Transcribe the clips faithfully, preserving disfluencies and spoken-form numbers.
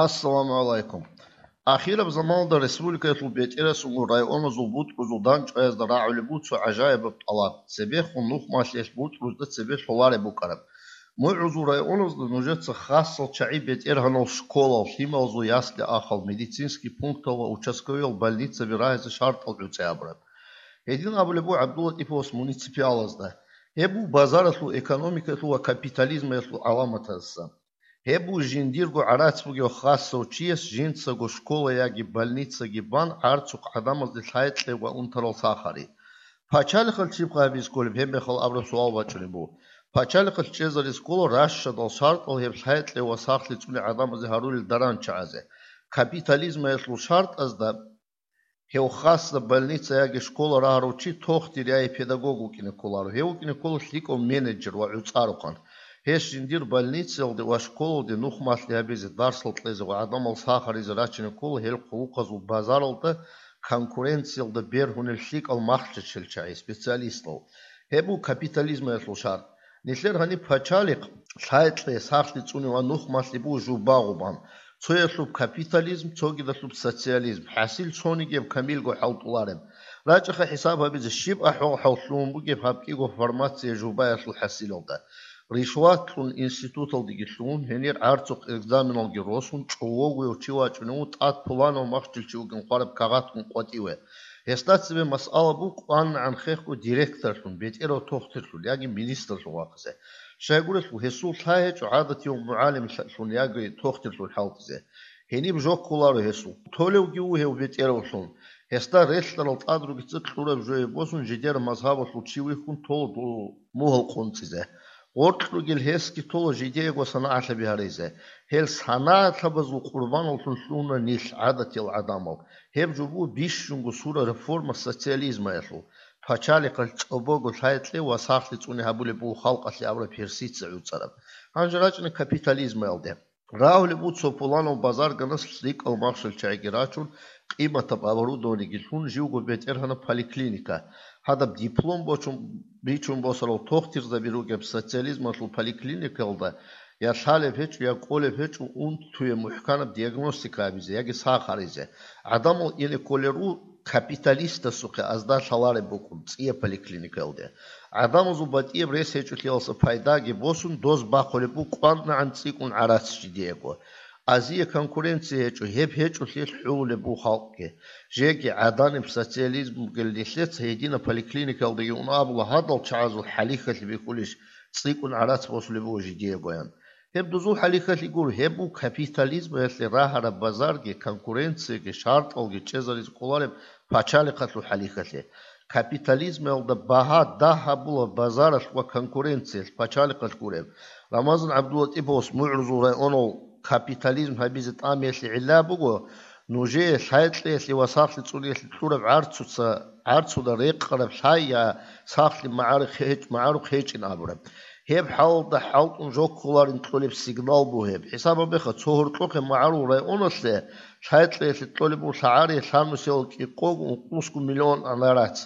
Ассаламу гӀалайкум. Ахираб заманалда республикаялъул бетӀерасулгун районазул бутӀрузул дандчӀваязда рагӀулеб буго цо гӀажаибаб тӀалаб: цебехун нухмалъиялъ бутӀрузда цебе лъолареб букӀараб. МугӀрузул районазда нужеца хасал чагӀи бетӀергьанал школал, лъималазул ясли-ахал, медицинский пунктал ва участковыял больницаби рагьизе шартӀал гӀуцӀи абураб. Гьедин абулеб буго ГӀабдуллатӀиповас муниципалазда: гьеб буго базаралъул экономикаялъул ва капитализмаялъул гӀаламатаздасан. Гьеб буго жиндирго гӀарац бугев хасав чияс жинцаго школа яги больницаги бан гӀарцухъ гӀадамазде лъай кьей ва унтарал сахари. Пачалихъал щибха гьабизе кколеб, гьебмехалъ абураб суал бачӀунеб буго. Пачалихъалъ чӀезаризе ккола ращадал шартӀал гьеб лъай кьей ва сахлъи цӀуне гӀадамазе гьарулел даран чагӀазе. Капитализмаялъул шартӀазда гьев хасда больница яги школа рагьарав чи тохтир яги педагог вукӀине кколаро. Гьев вукӀине ккола лъикӀав менеджер ва гӀуцӀарухъан. Гьес жиндир больницаялде ва школалде нухмалъи гьабизе, дарсал кьезе ва гӀадамал сахаризе рачине ккола гьел хъулухъазул базаралда конкуренциялда бергьунел лъикӀал махщел чагӀи, специалистал. Гьеб буго капитализмаялъул шартӀ. Нилъер гьаниб пачалихъ лъай кьей, сахлъи цӀуне ва нухмалъи буго жубагъу бан. Цоялъуб капитализм, цогидалъуб социализм. ХӀасил цониги гьеб камилго хӀалтӀулареб. РачӀаха хӀисаб гьабизе, щиб ахӀвал-хӀал лъугьун бугеб гьаб кӀиго формация жубаялъул хӀасилалда. Ришват кьун институталдеги лъугьун, гьенир гӀарцухъ экзаменалги росун, чӀовогояв чи вачӀунев вуго, тӀад пуланав махщел чи вугин хъвараб кагъатгун къватӀиве. Гьесда цебе масъала буго кӀванагӀан хехго директорлъун, бетӀерав тохтирлъун яги министрлъун вахъизе. Щайгурелъул гьесул лъай гьечӀо гӀадатияв мугӀалимлъун яги тохтирлъун хӀалтӀизе. Гьениб жо кколаро гьесул. Толевги вуго гьев бетӀеравлъун. Гьесда релълъарал тӀад ругица кьураб жояб босун жидер мазгьабалъул чи вихьун тола мугьал къунцӀизе. Гъоркь ругел гьесги тола жидеего санагӀатлъаби гьаризе. Гьел санагӀатлъабазул къурбаналлъун лъугьуна нилъ, гӀадатиял гӀадамал. Гьеб жо буго бищунго сурал реформа социализмаялъул. Пачалихъалъ чӀобого лъай кьей ва сахлъи цӀуне гьабулеб буго халкъалъе абураб гьерсица гӀуцӀараб. Гьанже рачӀина капитализмаялде. Рагьулеб буго цо пуланав базарганас лъикӀал махщел чагӀиги рачун, къиматаб оборудованиеги лъун, живго бетӀергьанаб поликлиника. Гьадаб диплом бочун, бичун босарал тохтирзаби ругеб социализмалъул поликлиникаялда я лъалеб гьечӀо, я кӀолеб гьечӀо унтуе мухӀканаб диагностика гьабизе яги сах гьаризе. ГӀадамал ине кколел руго капиталистасухъе азда лъалареб букӀун цӀияб поликлиникаялде. ГӀадамазул батӀияб рес гьечӀолъиялса пайдаги босун, доз бахъулеб буго кӀванагӀан цӀикӀкӀун гӀарац жидеего. Азие конкуренция гьечӀо, гьеб гьечӀолъиялъ хӀулулеб буго халкъги. Жеги гӀаданиб социализм бугел нилъеца гьединаб поликлиникаялдаги ун абула гьадал чагӀазул хӀалихьалъи бихьулищ, цӀикӀкӀун гӀарац босулеб буго жидеегоян. Гьеб дозул хӀалихьалъи гуро, гьеб буго капитализмаялъе рагьараб базарги, конкуренцияги, шартӀалги чӀезаризе кӀолареб пачалихъалъул хӀалихьалъи. Капитализмаялда багьа дагь гьабула базаралъ ва конкуренциялъ, пачалихъалъ гуреб. Рамазан ГӀабдуллатӀиповас МугӀрузул районал капитализм гьабизе тӀамиялъе гӀилла буго, нужее лъай кьеялъе ва сахлъи цӀуниялъе кьураб гӀарцуца, гӀарцуда рекъараб лъай я сахлъи магӀарухъ гьеч-, магӀарухъ гьечӀин абураб. Гьеб хӀалалда хӀалтӀун жо кколарин кьолеб сигнал буго гьеб. ХӀисаб гьабеха, цо гьоркьохъе магӀарул районалъе лъай кьеялъе кьолеб буго лъагӀари лъабнусиялда кӀикъого ункъусго миллион гӀарац.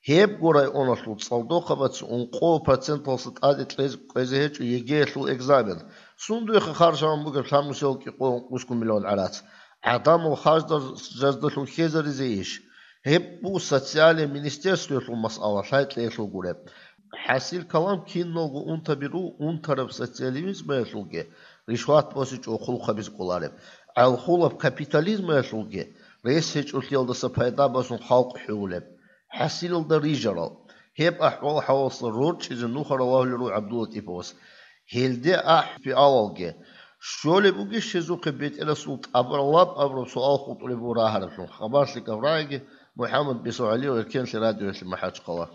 Гьебго районалъул цӀалдохъабац ункъо проценталъа тӀаде кьез-, кьезе гьечӀо ЕГЭялъул экзамен. Сундуеха харжаман бугеб лъабнусиялда кӀикъого ункъусго миллион гӀарац? ГӀадамал харждал-, жаздалъун хьезаризе иш? Гьеб буго социальный министерствоялъул масъала, лъай кьеялъул гуреб. ХӀасил калам, киналго унтаби руго унтараб социализмаялъулги, ришват босичӀого хъулухъ гьабизе кӀолареб. ГӀалхулаб капитализмаялъулги, рес гьечӀолъиялдаса пайда босун халкъ хӀулулеб. ХӀасилалда рижарал. Гьеб ахӀвал-хӀалаласда рорчӀизе нухал рагьулел руго ГӀабдуллатӀиповас. Гьелде ахӀи алалги, щолеб бугищ гьезухъе бетӀерасул тӀабралаб абураб суал хутӀулеб буго рагьараблъун. Хабарлъи Гаврагьиги, МухӀаммад Бесогьалиев, Эркенлъи радиоялъе МахӀачхъала.